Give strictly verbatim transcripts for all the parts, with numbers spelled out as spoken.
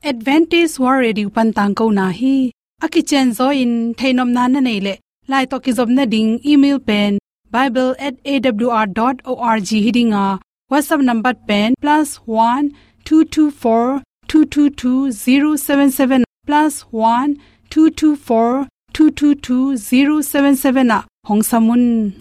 Adventist World Radio pan tangkona hi. A kicianzaw in theihnopna na neih leh, lai tawh kizopna ding email pen bible at A W R dot org hi ding a, WhatsApp number pen plus one two two four two two two zero seven seven, plus one two two four two two two zero seven seven ah hong sam un.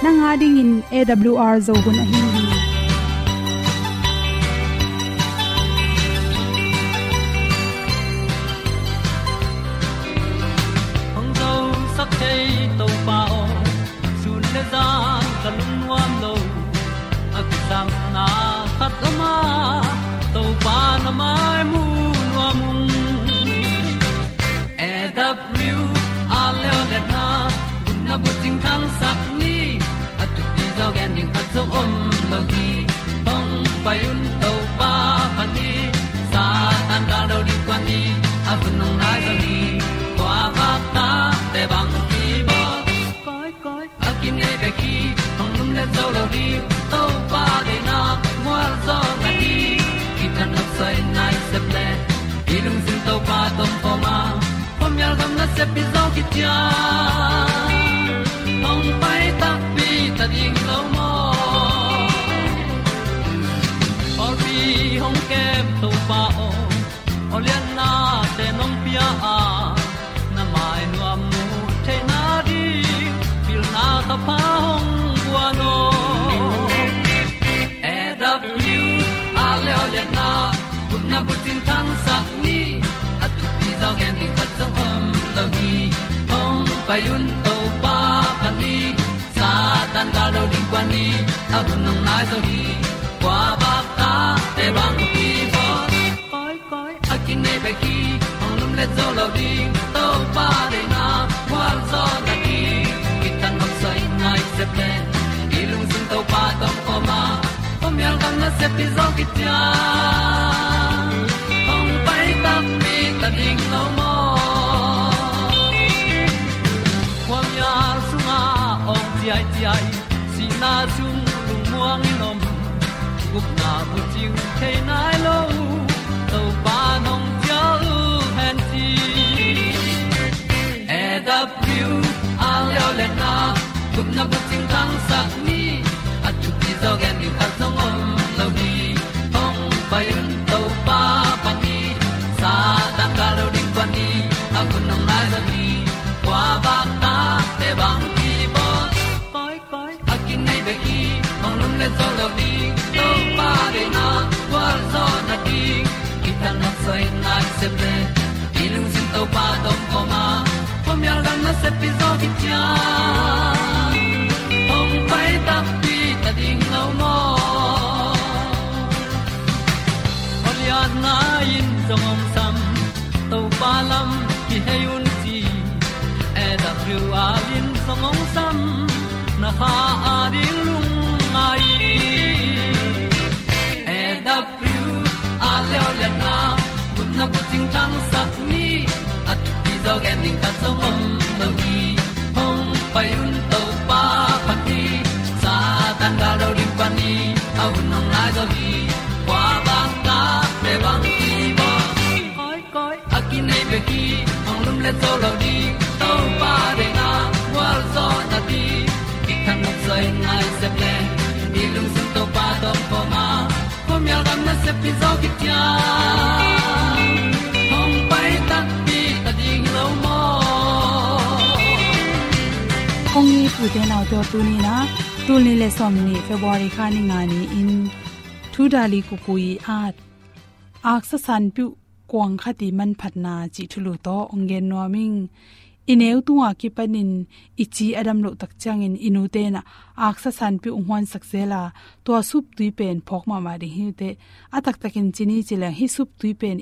Nang a dingin A W R Zo hun ahi hi. Hong zosak thei Topa aw, sun le zan ka lungnuam lo. A kisapna khat om a, Topa na mai mu nuam ung. A W R Zo hun a bucing thangsak ni, a thupi zaw gen ding khat zong om lo hi. Hong pai un Topa pan hi, Satan gal do ding kuan hi, a hun hong nai zo hi. Kua vak ta te bang hi bawl. Koi, koi, a kinei bek hi, hong lumlet zo lo ding, Topa deihna mual zaw na hi. Kithat nopsai nai sep le, i lungsim Topa tawh om a, khuamial gam nasep hi zaw kician. Hong pai takpi ta ding lo maw? Pawlpi hong kem Topa aw, awliatnate nong pia a, na mai nuam mu theihna ding pilna ka pha hong guan aw. A W R Zo hun a bucing thangsak ni, a thupi zaw gen ding khat zong om lo hi. Hong pai un Topa pan hi, Satan gal do ding kuan hi, a hun hong nai zo hi. Kua vak ta te bang hi bawl. Koi, koi, a kinei bek hi, hong lumlet zo lo ding, Topa deihna mual zaw na hi. Kithat nopsai nai sep le, i lungsim Topa tawh om a, khuamial gam nasep hi zaw kician. Hong pai takpi ta ding lo maw? Khuamial sungah awng ciaiciai, sihna sung lungmuang in om, gupna bucing thei nai lo, Topa nong cial hen ci. A W R Zo hun a gupna bucing thangsak ni, a thupi zaw gen ding khat zong om lo hi. Hong pai un Topa pan hi, Satan gal do ding kuan hi, a hun hong nai zo hi. Kua vak ta te bang hi bawl. Koi, koi, a kinei bek hi, hong lumlet zo lo ding, Topa deihna mual zaw na hi. Kithat nopsai nai sep le, i lungsim Topa tawh om a, khuamial gam nasep hi zaw kician. Hong pai takpi ta ding lo maw? Awliatna in zong hong sam, Topa lam kihei un ci. A W R in zong hong sam, na kha a ding lungngai. A W R Zo hun a gupna bucing thangsak ni, a thupi zaw gen ding khat zong om lo hi. Hong pai un Topa pan hi, Satan gal do ding kuan hi, a hun hong nai zo hi. Kua vak ta te bang hi bawl. Koi, koi, a kinei bek hi, hong lumlet zo lo ding, Topa deihna mual zaw na hi. Kithat nopsai nai sep le, i lungsim Topa tawh om a, khuamial gam nasep hi zaw kician. Hong pai takpi ta ding lo maw? Kong it u te nau te aw, tuni in ah, tul nih le sawm nih February kha ni nga ni-in, Thu Dali Kukui at, Aksa Sanpiuh Kuang Khat i Manphatna cih thulu tawh hong gen nuam ing. i neu tunga kipanin i ci a dam loh tak ciangin i nute in ah aksa sanpiu hong huansak zel a, tua suptui pen phawk mahmah ding hi uh teh. A taktakin ci ni ci leng hih suptui pen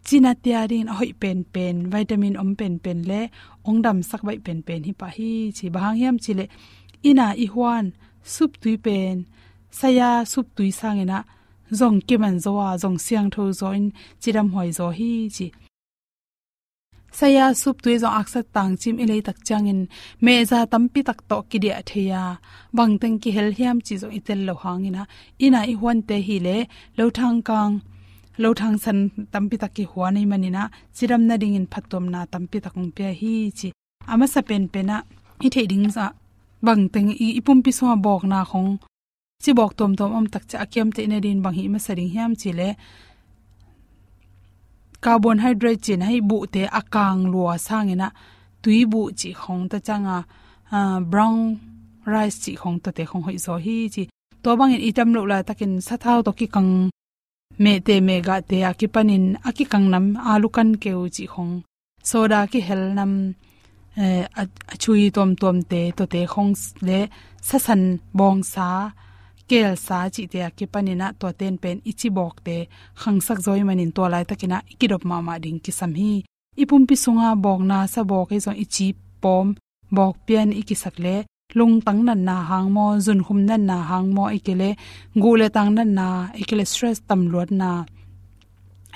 cina tia dingin a hoih penpen, vitamin om penpen le hong damsak baih penpen hi pah hi ci. Bang hang hiam cih leh inn a i huan suptui pen saya suptui sangin ah zong kiman zaw a, zong siangtho zaw in cidam huai zaw hi ci. Saya suptui zong aksa tangcim i lei tak ciangin mehza tampi tak tawh kidiah thei a, bangteng kihel hiam cih zong i tel loh hangin ah inn a i huante hi leh lothang kang, lothang san tampi tak kihuan ahih manin ah cidam nadingin phattuamna tampi tak hong pia hi ci. A masa penpen ah i theih ding zah bangteng i, i pumpi sungah bawkna khong cibawk tuamtuam om tak ciang a kiam theih nadingin bang hih masa ding hiam cih leh carbohydrate cih na hih buhte a kang lua sangin ah tui buh cih khong, tua ciang a, ah, brown rice cih khong, tuate khong hoih zaw hi ci. Tua bangin i dam loh laitakin sathau tawh kikang mehteh mehgahte a kipanin a kikang nam, alu kan keu cih khong, soda kihel nam, eh, a, a chui tuamtuamte, tuate khong s-, le sasan bawngsa, kelsa cihte a kipanin ah tuate in pen i cibawkte khangsak zaw ahih manin tua laitakin ah i kidop mahmah ding kisam hi. I pumpi sunga bawkna sa bawk hi zong i ci pawm bawk pian i kisak leh lungtang natna hang maw, zunkhum natna hang maw, ahih kei leh guh le tang natna, ahih kei leh stress tamluatna,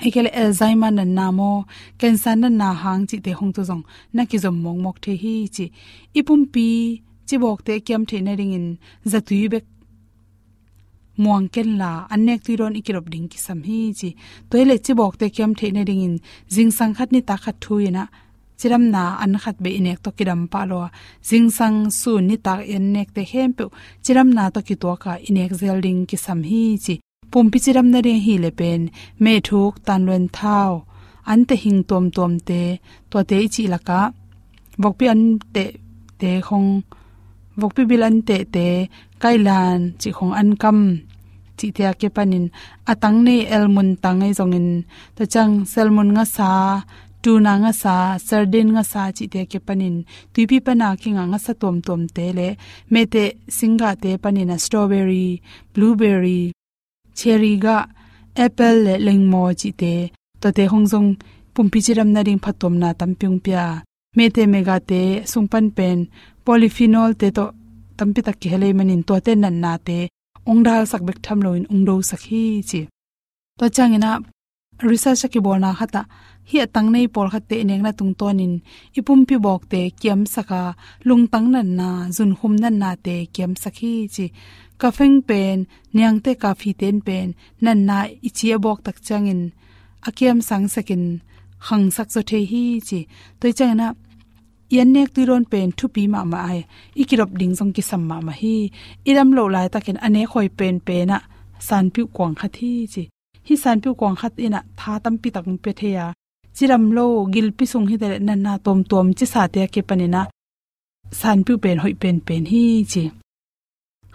ahih kei leh Alzheimer natna maw, cancer natna hang cihte khong tawh zong na kizom mawkmawk thei hi ci. I pumpi cibawkte kiam theih nadingin zatui bek muang kenla, an nek tui dawn i kidop ding kisam hi ci. Tua hi leh cibawkte kiam theih nadingin zingsang khat nitak khat thu in ah cidamna an khat bek i nek tawh kidam pah lo a, zingsang sun nitak i an nekte khempeuh cidamna tawh kituak a i nek zel ding kisam hi ci. Pumpi cidam nading ahih leh pen mehthuk, tanluan thau, an teh hing tuamtuamte, tuate i cih lakah vokpi an tehte khong, vokpi bil an tehte, kailan cih khong, an kam cihte a kipanin a tang nei, elmun tang ahi zongin, tua ciang salmon ngasa, tuna ngasa, sardine ngasa cihte a kipanin tuipi pana kingah ngasa tuamtuamte le mehteh singgahte panin ah strawberry, blueberry, cherry gah, apple le lengmaw cihte, tuate khong zong pumpi cidam nading phattuamna tampi hong pia. Mehteh mehgahte sung pan pen polyphenolte tawh tampi tak kihel ahih manin tuate natnate hong dalsak bek tham loin hong dosak hi ci. Tua ciangin ah research a kibawlna khat ah hih a tang nei pawlkhatte i nekna tungtawnin i pumpi bawkte kiamsak a, lungtang natna, zunkhum natnate kiamsak hi ci. Caffeine pen, niangte coffeete in pen natna i ci a bawk tak ciangin a kiamsang sekin khangsak zaw thei hi ci. Tua hi ciangin ah i an nek tui dawn pen thupi mahmah a, i kidop ding zong kisam mahmah hi. I dam loh laitakin a nek hoih penpen ah sanpiuh kuang khat hi ci. Hih sanpiuh kuang khat in ah tha tampi tak hong pia thei a, cidam lo, gilpi sung hi taleh natna tuamtuam cisate a kipanin ah sanpiuh pen hoih penpen hi ci.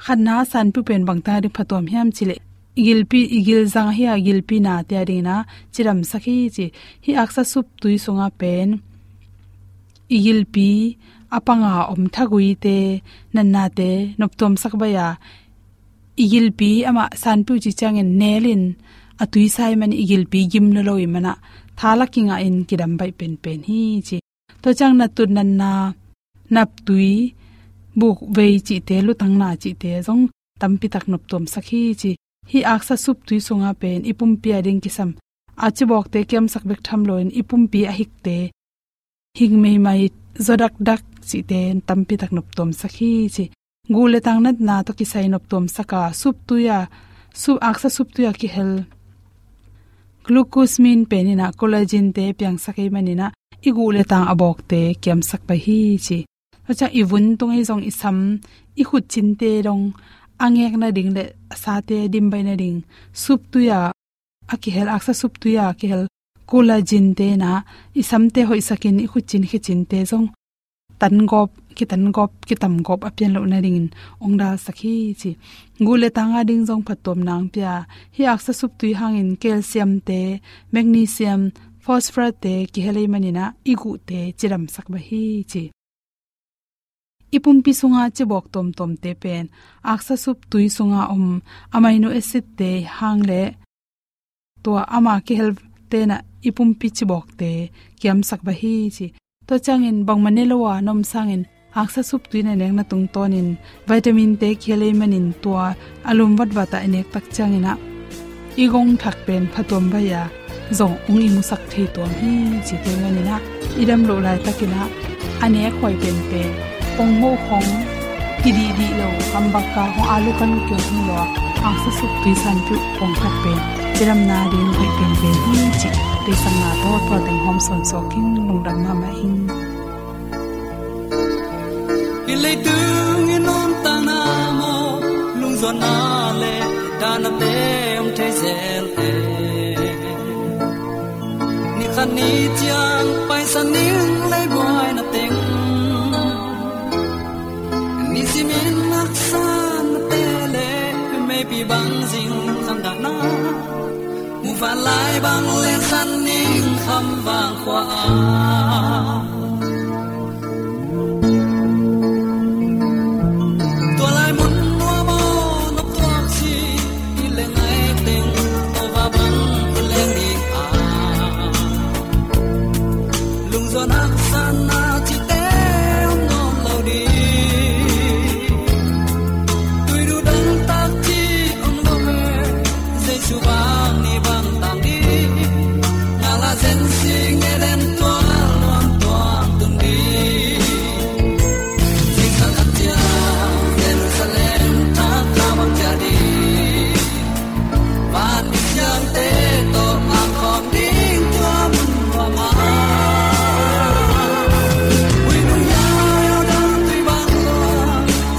Khatna sanpiuh pen bangteng a ding phattuam hiam cih leh i gilpi, i gilzang ahi a, i gilpi nate a dingin ah cidamsak hi ci. Hih aksa suptui sungah pen i gilpi a panga om thaguite, natnate noptuamsak baih a, i gilpi amah sanpiuh cih ciangin nelin a tuisa ahih manin i gilpi gim lua lo ahih manin ah tha la kingahin kidam baih penpen hi ci. Tua ciang natut natna, naptui, bukvei cihte, lutangna cihte zong tampi tak noptuamsak hi ci. Hih aksa suptui sungah pen i pumpi a ding kisam a cibawkte kiamsak bek tham loin i pumpi a hikte, hik meimai, zaw dakdak cihte tampi tak noptuamsak hi ci. Guh le tang natna tawh kisai noptuamsak a, suptui a, sup, aksa suptui a kihel glucosamine pen in ah collagen-te piangsak ahih manin ah i guh le tang a bawkte kiamsak baih hi ci. Tua ciang i vun tung ahi zong, i sam, i khutcinte dong a ngek nading le a sate dim baih nading suptui a a kihel, aksa suptui a kihel collagen-te in ah i samte hoihsakin i khutcin khecinte zong tangawp, kitangawp, kitamgawp a pian loh nadingin hong dalsak hi ci. Guh le tang a ding zong phattuamna hong pia. Hih aksa suptui hangin calcium-te, magnesium, phosphorus te kihel ahih manin ah i guhte cidamsak bek hi ci. I pumpi sunga cibawk tuamtuamte pen aksa sup tui sunga om amino acid te hang le tua ama kihel tenah i pumpi cibawkte kiamsak bek hi ci. Tua ciangin bangmah ne lo a na om sangin aksa sup tui na nekna tungtawnin vitamin te kihel ahih manin tua a lum vatvat ah i nek tak ciangin ah i gong thak pen phatuam bek a zong hong i musak thei tuam hi ci. Tua ahih manin ah i dam loh laitakin ah a nek huai penpen, pongmo khong kidihdih lo, hambaka khong, alu kan kiho lo a, aksa sup tui sanpeuh khong khat pen cidamna ding hoih penpen hi ci. Deihsakna tawh tua teng hawm sawnsawn ing. Lungdam mahmah ing. Hih leitung i nuntakna maw, lungzuanna le dahnate om thei zel e. Ni khat ni ciang paisan ning lei buaina teng, nisimin haksatnate le meipi bang zing khamdahna, muvanlai bang lengsan ning khamvang khua ah. Tua lai mun nuam aw nop tuak ci, i leng ai teng, tua va bang i leng ding a. Lungzuan haksatna cihte om nawn lo ding. Tuidu dang tak cih om lo e, Jesu bang ni bang tang ding. Ngala zen sing Eden tual luang tuang tun ding. Zingsang khat ciang Jerusalem thak kha bang ciah ding. Van misiangte tawh a khawm ding tua mun nuam ah. Ui nung yau dang tui bang lua,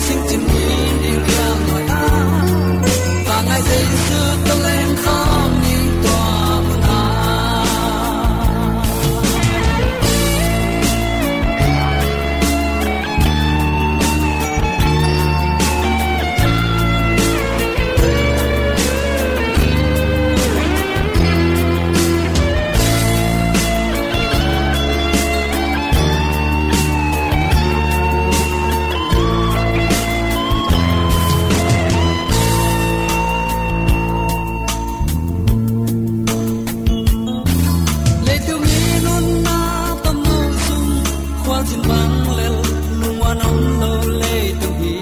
singcin ni ding liang nuai ah. Vangngai Jesu tawh leng khawm ding tua mun ah. Leitung i nunna tam lo sung, khualzin bang lel lungua nong lo leitung hi.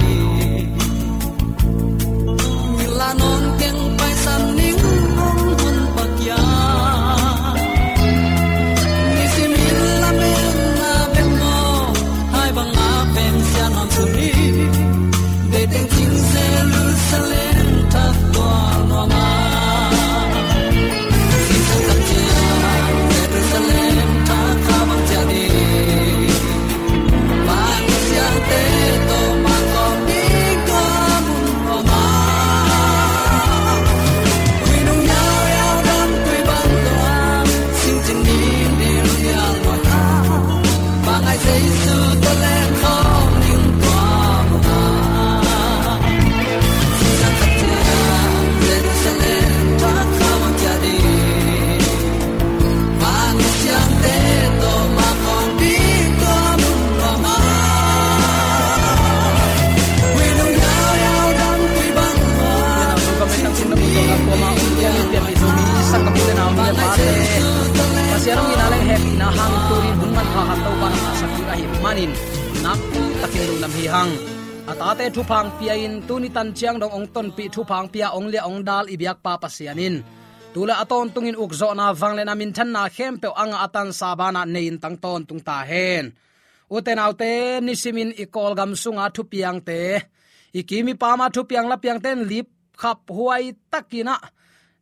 Ngila nong keng paisan ning nong hun pakia. Nisimin lamen na bek maw, hai bang a peng sia nong suni. Deiteng cing Jerusalem thak tual nuam ah. Zingsang khat ciang Jerusalem thak kha bang ciah ding. Van misiangte tawh mah khawm ding tua mun nuam ah. Ui nung yau yau dam tui bang lua, singcin ni ding liang nuai ah. Vangngai Jesu tawh leng khawm ding tua mun ah. Zingsang khat ciang Jerusalem thak kha bang ciah ding. Van misiangte tawh mah khawm ding tua mun nuam ah. Ui nung yau yau dam tui bang lua. Singcin ni ding liang nuai ah. Pasian hong itna le hehpihna hangin tuni hun manpha khat Topa nang a sak ding ahih manin nakpi takin lungdam hi hang. A tate thupha hong pia-in tuni tan ciang dong hong tonpih, thupha hong pia, hong liah hong dal i biakpa Pasian in tu le a tawntungin ukzawhna, vangliatna, minthanna khempeuh a ngah a tansa banah nei-in tang tawntung ta hen. Ute naute, nisimin i Kawlgam sunga thupiangte, i kim i pama thupiang lapiangte in lipkhap huai takin ah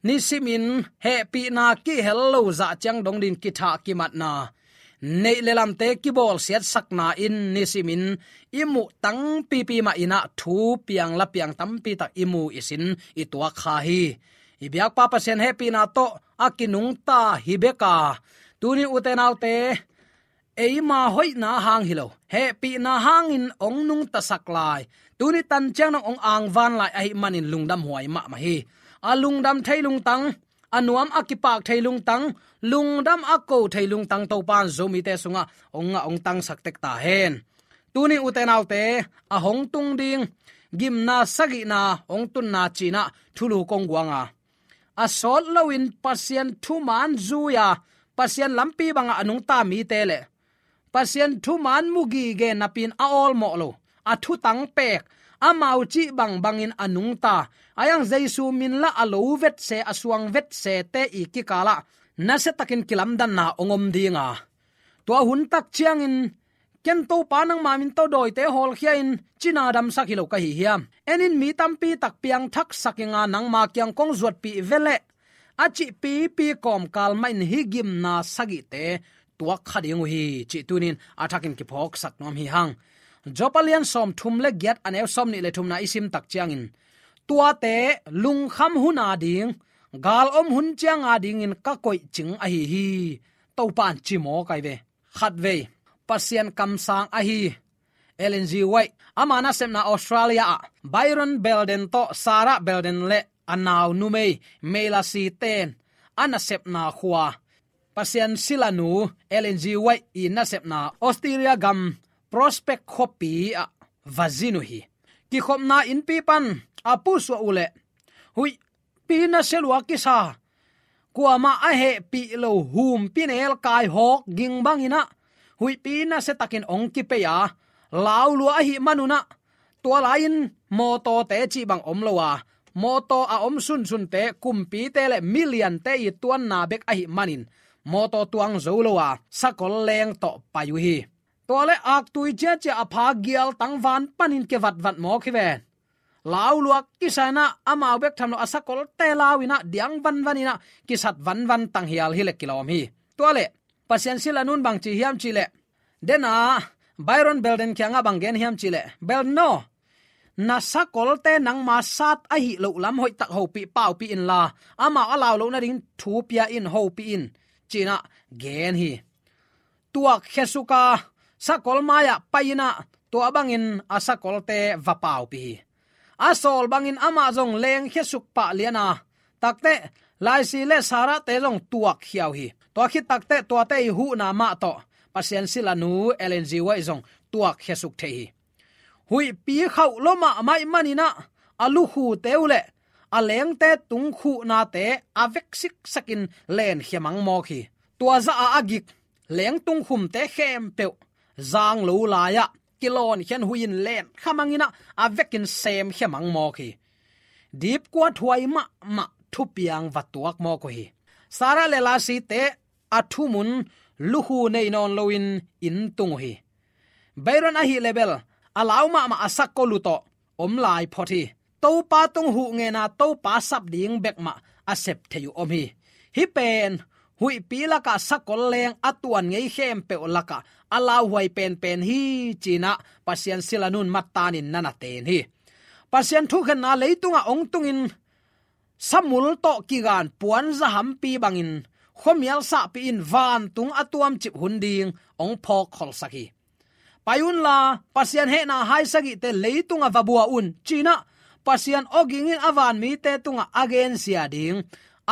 nisimin hehpihna kihel lo zah ciang dong dingin kithah kimatna, neih le lamte kibawlsiatsakna in nisimin i muh tangpipi mah in ah thupiang lapiang tampi tak i mu i sin i tuak kha hi. I biakpa Pasian hehpihna tawh a kinungta hi bek a, tuni ute naute, eima hoihna hang hi lo, hehpihna hangin hong nungtasak lai, tuni tan ciang dong hong angvan lai ahih manin lungdam huai mahmah hi. A lungdam thei lungtang, a nuam a kipak thei lungtang, lungdam a ko thei lungtang Topa'n Zomite sungah hong ngah hong tangsak tek ta hen. Tuni ute naute, a hong tung ding gimna sagihna hong tunna cinah thulu kong guanga, a sawt loin Pasian thuman zui-a Pasian lampi bangah a nungta mite le Pasian thuman mu gige napi-in a awlmawh lo, a thutang pek, amau cih bangbangin a nungta, a yang Jesu min lah a lo vetse, a suang vetsete i kikalah nasiatakin kilamdanna hong om dinga, tua hun tak ciangin, ken Topa nangma min tawh dawite hawlkhia-in cina damsak hi lo ka hi hiam? En in, mi tampi tak piangthaksak inga, nangma kiang kong zuatpih veleh, a cih pipi kawmkal mahin hih gimna sagihte tuak kha ding uh hi, cih tuni-in a thakin kiphawksak nuam hi hang. Job a lian sawmthum le giat, a neu sawmnih le thumna i sim tak ciangin, tuate lungkham hun ading, gal om hun ciang adingin ka koihcing ahi hi, Topa'n ci mawk ahi ve. Khatvei, Pasian kamsang ahi Ellen G. White, ama nasepna Australia ah Byron Belden tawh Sarah Belden le a nau numei Meilasi ten a nasepna khua, Pasian silanu Ellen G. White i nasepna Australia gam Prospect khuapi ah va zin uh hi. Kikhopna innpi pan a pusuah uhleh, huihpi nasia lua kisa, kuamah a hehpih lo humpi nelkai hawk ging banginah huihpi nasiatakin hong kipei a, laulua ahih manunah, tua lai-in mawtawte cih bang om lo a, mawtaw a om sunsunte kumpite le miliante i tuanna bek ahih manin mawtaw tuang zo lo a, sakol leng tawh pai uh hi. Tua le aktui ciacia a pha gialtang van panin kivatvat mawk hi ven. Laulua kisa inah amau bek tham lo a sakolte lau inah diang vanvan inah kisat vanvan tanghial hi le kilawm hi. Tua le Pasian silanun bang ci hiam cihleh, dena Byron Belden kiangah bang gen hiam cihleh, Belden aw, na sakolte nangma sat ahi loh lam hoihtak hopih paupih inla, amau a lau loh nading thu pia in, hopih in, cinah gen hi. Tuakkhiasuk a, sakol mai-ah pai inah tua bangin a sakolte va paupih hi. A sawl bangin amah zong lengkhiasuk pah lian a, takteh Laisi le Sarahte zong tuakkhia uh hi. Tua khit takteh tuate i huhna mah tawh Pasian silanu Ellen G. White zong tuakkhiasuk thei hi. Huihpi khauh lo mahmah ahih maninah a lukhute uh le a lengte tung khuhnate a vek siksakin lenkhia mang mawk hi. Tua zah a a gik lengtung khumte khempeuh zang lo lai-ah kilawnkhian hui-in lenkha mang inah a vekin semkhia mang mawk hi. Dipkuat huai mahmah thupiang va tuak mawk uh hi. Sarah le Laisite a thumun lukhu nei nawn loin inn tung uh hi. Byron ahih leh bel a lau mahmah a sakol uh tawh om lai phot hi. Topa tung huh ngena Topa sap ding bek mah a sep thei uh om hi. Hih pen huihpi lakah sakol leng a tuan ngei khempeuh lakah a lauhuai penpen hi, cinah Pasian silanun mattanin na na ten hi. Pasian thukhenna leitungah hong tungin samul tawh kigan puanza hampi bangin khuamial sahpih in vantung a tuamcip hun ding hong phawkkholsak hi. Pai unla, Pasian hehna hai sagihte leitungah va bua un, cinah Pasian awgingin a vanmite tungah a gensia ding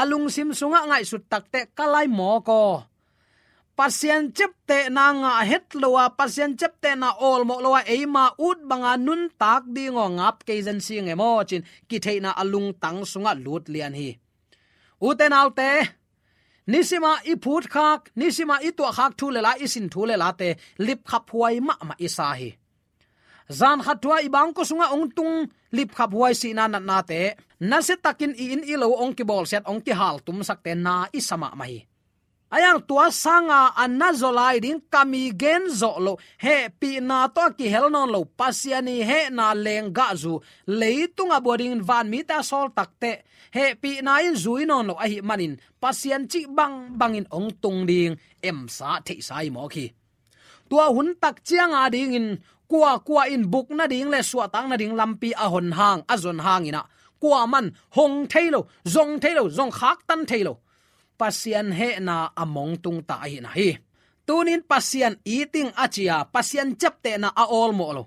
a lungsim sungah ngaihsut takteh ka lai mawk aw. Pasian ciaptehna ngah het lo a, Pasian ciaptehna awlmawh lo a, eima ut banga nuntak ding aw, ngap kei zen sing e maw, cin kitheihna a lungtang sungah lut lian hi. Ute naute, nisima i phutkhak, nisima i tuahkhak thu le la, i sin thu le late lipkhaphuai mahmah i sa hi. Zan khat thu-a i bangkua sungah hong tung lipkhaphuai sihna natnate, nasiatakin i inn i lo hong kibawlsiat, hong kihaltumsakte na i sa mahmah hi. A yang tua sanga a na zaw lai ding ka mi gen zawh loh, hehpihna tawh a kihel nawn lo, Pasian i hehna lenggahzu leitungah bua dingin vanmite a sawl takteh hehpihna in zui nawn lo ahih manin Pasian cih bangbangin hong tung ding emsa theihsa hi mawk hi. Tua hun tak ciang adingin kuakua in buk nading le suahtak nading lampi a hon hang, a zon hanginah kuaman hong thei lo, zong thei lo, zong khaktan thei lo. Pasian hehna a mongtung ta ahihna hi. Tunin Pasian iting a cia, Pasian ciaptehna a awlmawh lo,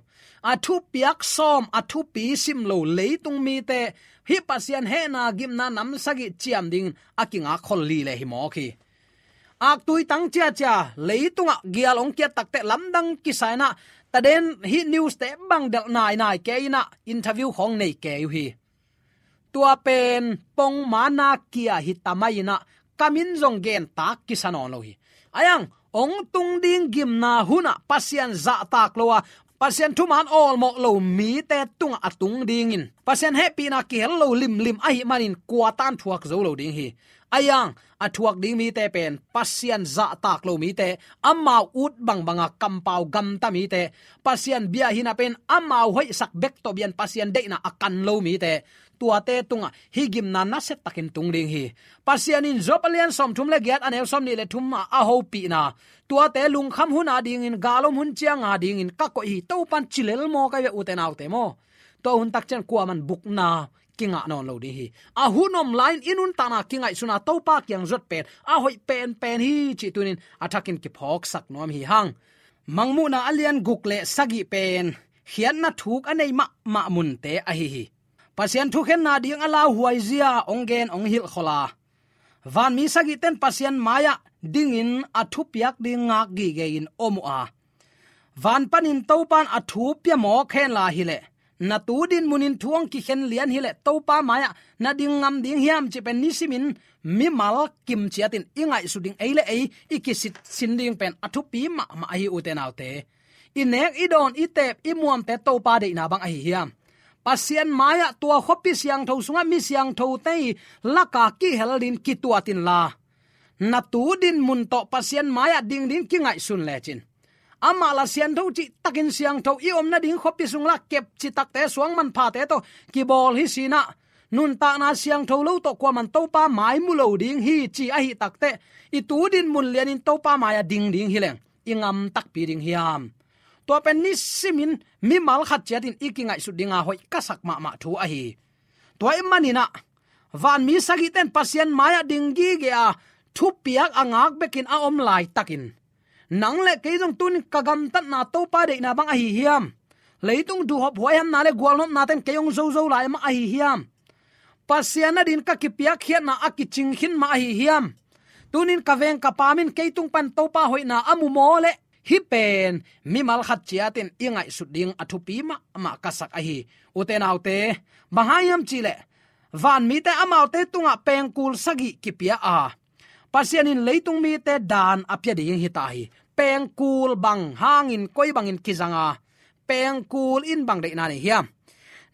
a thupiak sawm, a thupi sim lo leitung mite hih Pasian hehna gimna nam sagih ciam dingin a kingak khol li le hi mawk hi. Aktui tang ciacia leitungah gial hong kiat takteh lamdang kisa inah, taden hih news te bang delh nainai kei inah interview khawng nei kei uh hi. Tua pen pongmana kia hi tamai inah, ka min zong gen tak kisa nawn lo hi. Aiang, hong tung ding gimna hunah Pasian zahtak lo a, Pasian thuman awlmawh lo mite tungah a tung dingin, Pasian hehpihna kihel lo limlim ahih manin kuatan thuak zo lo ding hi. Aiang, a thuak ding mite pen Pasian zahtak lo mite, amau ut bangbanga kampau gamta mite, Pasian bia hina pen amau hoihsak bek tawh bian Pasian deihna a kan lo mite, tuate tungah hih gimna nasiatakin tung ding hi. Pasian in Job a lian sawmthum le giat a neu sawmnih le thum ah a hopihna, tuate lungkham hun a dingin, galom hun ciang a dingin ka koih hi, Topan ci lel maw ka hi ve, ute naute maw. Tua hun tak ciang kuaman bukna kingah nawn lo ding hi. A hun om lai-in i nuntakna kingaihsun a Topa kiang zuat pen a hoih penpen hi cih tunin a thakin kiphawksak nuam hi hang. Mangmuhna a lian guk le sagih pen khiatna thuk a nei mahmah munte ahi hi. Pasian thukhenna ding a lauhuai zia hong gen hong hilhkhol a, vanmi sagihte in Pasian mai-ah dingin a thupiak ding ngak gige-in om uh a, van panin Topan a thu pia mawk henla hileh, na tu dinmunin thu hong kikhen lian hileh Topa mai-ah na ding ngam ding hiam cih pen nisimin mimal kim ciatin i ngaihsut ding, ei le ei i kisitsin ding pen a thupi mahmah ahi, ute naute. I nek, i dawn, i teep, i muamte Topa deihna bang ahi hiam? Pasian mai-ah tua khuapi siangtho sungah mi siangthote i laka kihel dingin kituat inla, na tu dinmun tawh Pasian mai-ah ding dingin kingaihsun lecin, amah la siangtho cihtakin siangtho i om nading khuapi sung la kep citakte, suang manphate tawh kibawl hi sinah, nuntakna siangtho lo tawh kuaman Topa mai mu lo ding hi ci ahi takteh, i tu dinmun lianin Topa mai-ah ding ding hileng i ngam takpi ding hiam? Tua pen nisimin mimal khat ciatin i kingaihsut dinga hoih ka sak mahmah thu ahi. Tua ahih maninah vanmi sagihte in Pasian mai-ah ding gige a, thupiak a ngak bekin a om laitakin, nang le kei zong tunin ka gamtatna Topa deihna bang ahi hiam? Leitung duhhop huaihamna le gualnopnate in kei hong zozo lai mah ahi hiam? Pasian a dingin ka kipiakkhiatna a kicing khin mah ahi hiam? Tunin ka veng ka paam in kei tung pan Topa hoihna a mu maw leh, hih pen mimal khat ciatin i ngaihsut ding a thupi mahmah ka sak ahi. Ute naute, bang hang hiam cihleh, vanmite amaute tungah pengkul sagih kipia a, Pasian in leitung mite daan a pia ding hita hi. Pengkul bang hangin, koi bangin kizang a, pengkul in bang deihna nei hiam?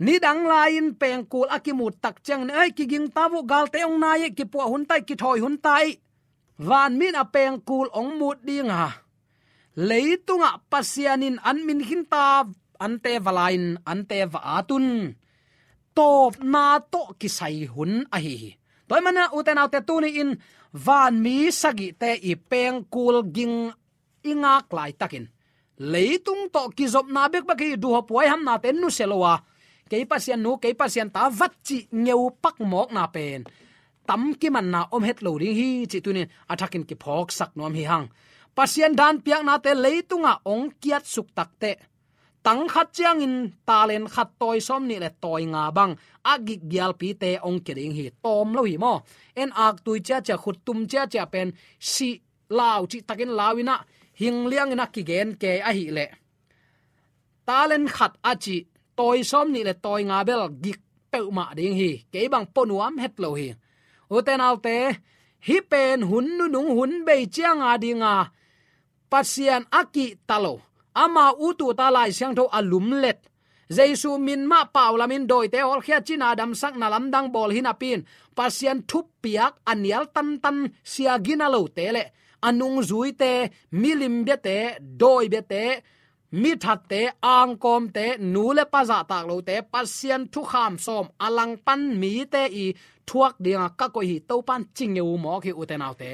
Nidang lai-in pengkul a kimut tak ciangin, ei, kiging ta uh, galte hong nai hi, kipuah hun ta hi, kithawi hun ta hi. Vanmi in a pengkul hong mut ding a, leitungah Pasian in an min khin ta, ante va la-in, ante va at un, tawpna tawh kisai hun ahi hi. Tua ahih manin ute naute, tuni-in vanmi sagihte i pengkul ging i ngak laitakin, leitung tawh kizopna bekbek hi, duhhop huaihamnate nusia lo a, kei Pasian nu, kei Pasian ta vat cih ngeupak mawkna pen tam kimanna om het lo ding hi cih tunin a thakin kiphawksak nuam hi hang. Pasian daan piaknate leitungah hong kiatsuk takteh, tang khat ciangin talent khat, tawi sawmnih le tawi nga bang a gikgialpite hong kia ding hi. Tawm lo hi maw? En, aktui ciacia, khuttum ciacia pen sih lau cihtakin lau inah, hing liangin a kigen kei ahih leh, talent khat a cih tawi sawmnih le tawi nga bel gik peuhmah ding hi. Kei bang pua nuam het lo hi. Ute naute, hih pen hun nunung, hun bei ciang a dinga Pasian a kihta lo, ama ut uh ta Lai Siangtho a lumlet, Jesu min mah paulamin dawite hawlkhia, cina damsakna lamdang bawl hi napi-in, Pasian thupiak a nial tantan, sia gina lote le a nungzuite, milim biate, dawi biate, mi thatte, angkawmte, nu le pa zahtak lote, Pasian thukham sawm a langpan mite i thuak dinga ka koih hi, Topan ci ngeu mawk hi, ute naute.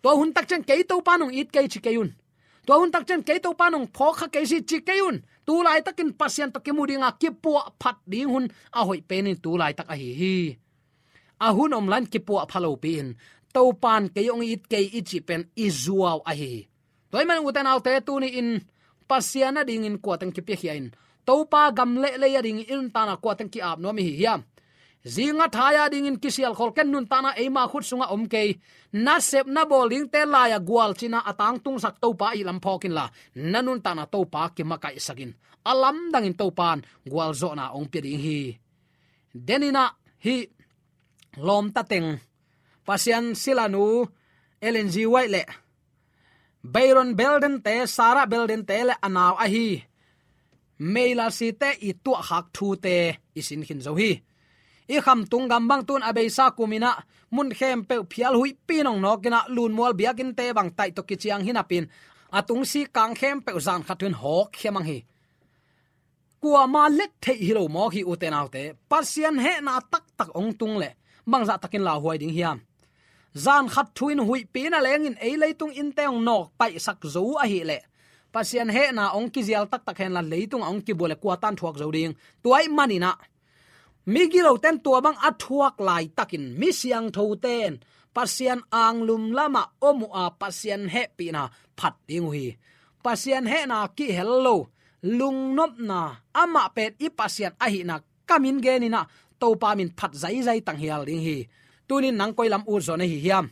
Tua hun tak ciang kei Topan hong it kei ci kei un. Tua hun tak ciang kei Topan hong phawkkha kei si ci kei un. Tu laitakin Pasian tawh kimu dinga kipuahphat ding hun a hoih penin tu laitak ahi hi. A hun om lai-in kipuahpha lopi-in, Topan kei hong it kei i cih pen i zuau ahi hi. Tua ahih manin ute naute, tuni-in Pasian a dingin kuateng kipiakhia in, Topa gam le lei a dingin i nuntakna kuateng ki-ap nuam i hi hiam? Zinga thai-a dingin kisialkhol ken, nuntakna eima khut sungah om kei. Nasepna bawl dingte lai-a gualcina a tangtungsak Topa i lam phawk inla, na nuntakna Topa kimakaihsak in. A lamdangin Topan gualzawhna hong pia ding hi. Deninah hih lawmta teng, Pasian silanu Ellen G. White le Byron Beldente, Sarah Beldente le a nau ahi May Lassie-te i tuahkhak thute i sin khin zo hi. I khamtung gam bang tun a beisa kuminah mun khempeuh phial huihpi nongnawkinah lunmual biakinnte bang taih tawh kiciang hi napin, a tungsik kang khempeuh zan khat thu-in hawkkhia mang hi. Kuama let theih hi lo mawk hi, ute naute. Pasian hehna taktak hong tung leh bangzah takin lauhuai ding hiam? Zan khat thu-in huihpi na lengin ei leitung innte hong nawk paihsak zo ahih leh, Pasian hehna hong kizial taktak henla, leitung a hong kibua le kua tan thuak zo ding? Tua ahih maninah migiloten tua bang a thuak laitakin mi siangthoten Pasian anglum lamah om uh a, Pasian hehpihna phat ding uh hi. Pasian hehna kihel lo, lungnopna, amah pen i Pasian ahihna ka min geninah Topa min phat zaizai tanghial ding hi. Tunin nang koi lam utzaw na hi hiam?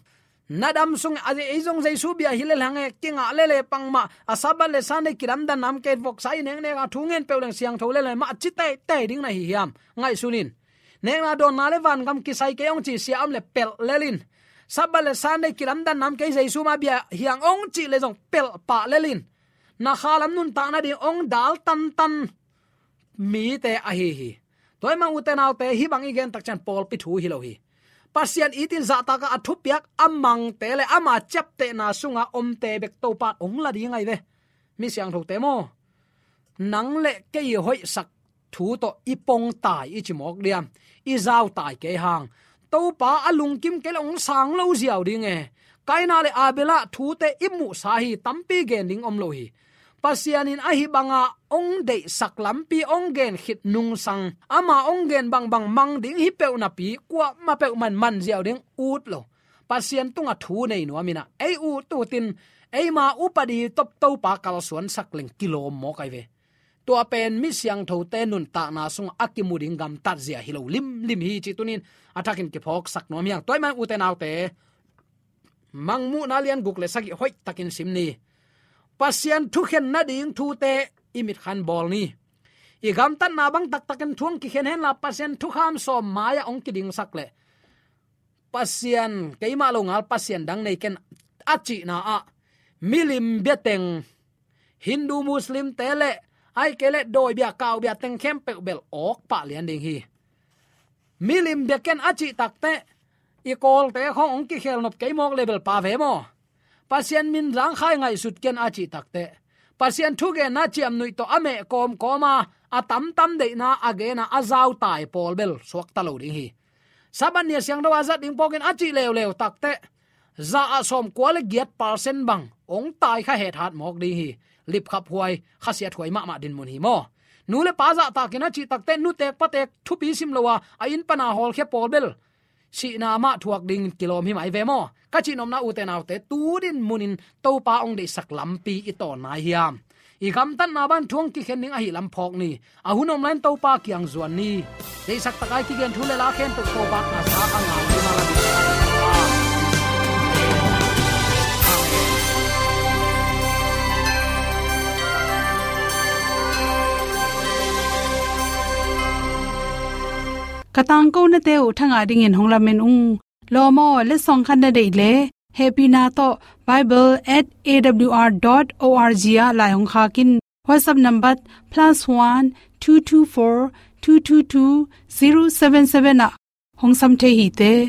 Na dam sung a, ei zong Jesu bia hi lel hang e, kingah lel e, pangmah a Sabbath le Sunday kilamdanna om kei, voksa i neknek a, thu ngen peuh leng siangtho lel e, mah ci teitei ding na hi hiam? Ngaihsun in. Nekna dawnna le vangam kisai kei hong ci sia om le pelh lel in. Sabbath le Sunday kilamdanna om kei, Jesu mah bia hi hang hong cih le zong pelh pah lel in. Na kha lam nuntak nading hong dal tantan mite ahi hi. Tua ahih manin ute naute, hih bang i gen tak ciang pawlpi thu hi lo hi. Pasian itin zahtakah a thupiak a mangte le ama ciaptehna sunga omte bek Topan hong la ding ahi ve. Mi siangthote maw, nang le kei i hoihsak thu tawh i pongtai i ci mawk diam? I zautai kei hang. Topa a lungkim kei le hong sang lo ziau ding e. Kaina le Abela thute i muhsa hi, tampi gen ding om lo hi. Pasian in ahi banga hong deihsak lampi hong gen khit nungsang, ama hong gen bangbang mang ding hi peuh napi, kuamah peuh man man ziau ding ut lo. Pasian tunga thu nei nuam inah ei ut utin, eima upadi tawh Topa kalsuansak leng kilawm mawk ahi ve. Tua pen mi siangthote nuntakna sungah a kimu ding gamtat zia hi lo limlim hi, cih tunin a thakin kiphawksak nuam hi hang. Tua ahih manin ute naute, Mangmuhna lian guk le sagih hoihtakin sim ni. Pasian thukhen nading thute i mitkhan bawl ni. I gamtatna bang taktakin thu hong kikhen henla, Pasian thukham sawm mai-ah hong kidingsak leh, Pasian, keimah lo ngal Pasian dang nei ken, a cihna ah milim bia teng, Hindu Muslimte le, ahih kei leh dawi bia, kau bia teng khempeuh bel awk pah lian ding hi. Milim bia ken a cih takteh, i Kawlte khawng hong kikhel nop kei mawk le bel pha ve maw? Pasian min zangkhai ngaihsut ken a cih takteh, Pasian thugenna ciamnuih tawh a meh kawmkawm a, a tamtam deihna a gen a, a zautai pawl bel suakta lo ding hi. Sabbath ni a siangtho a zat ding phawkin a cih leuleu takteh, za ah sawmkua le giat percent bang hong tai kha hethat mawk ding hi. Lipkhaphuai, khasiathuai mahmah dinmun hi maw? Nu le pa zahtakin a cih takteh, nutek patek thupi sim lo a, a inn pana hawlkhia pawl bel sihna mah thuak dingin kilawm hi mai ve maw? Ka cihnopna ute naute, tu dinmunin Topa hong deihsak lampi i tawn nai hiam? I gamtatna bang thu hong kikhen ding ahih lam phawk ni. A hun om lai-in Topa kiang zuan ni. Deihsak takai kigen thu le la khempeuh Topa na sa a ngai ding a la ding. Ka tangkonate uh thangah dingin hong lamen ung. Lawm aw, letsong khat na deih leh, hehpihna tawh bible at A W R dot O R G ah lai hong khak in. WhatsApp number plus one two two four two two two zero seven seven ah hong sam thei hi te.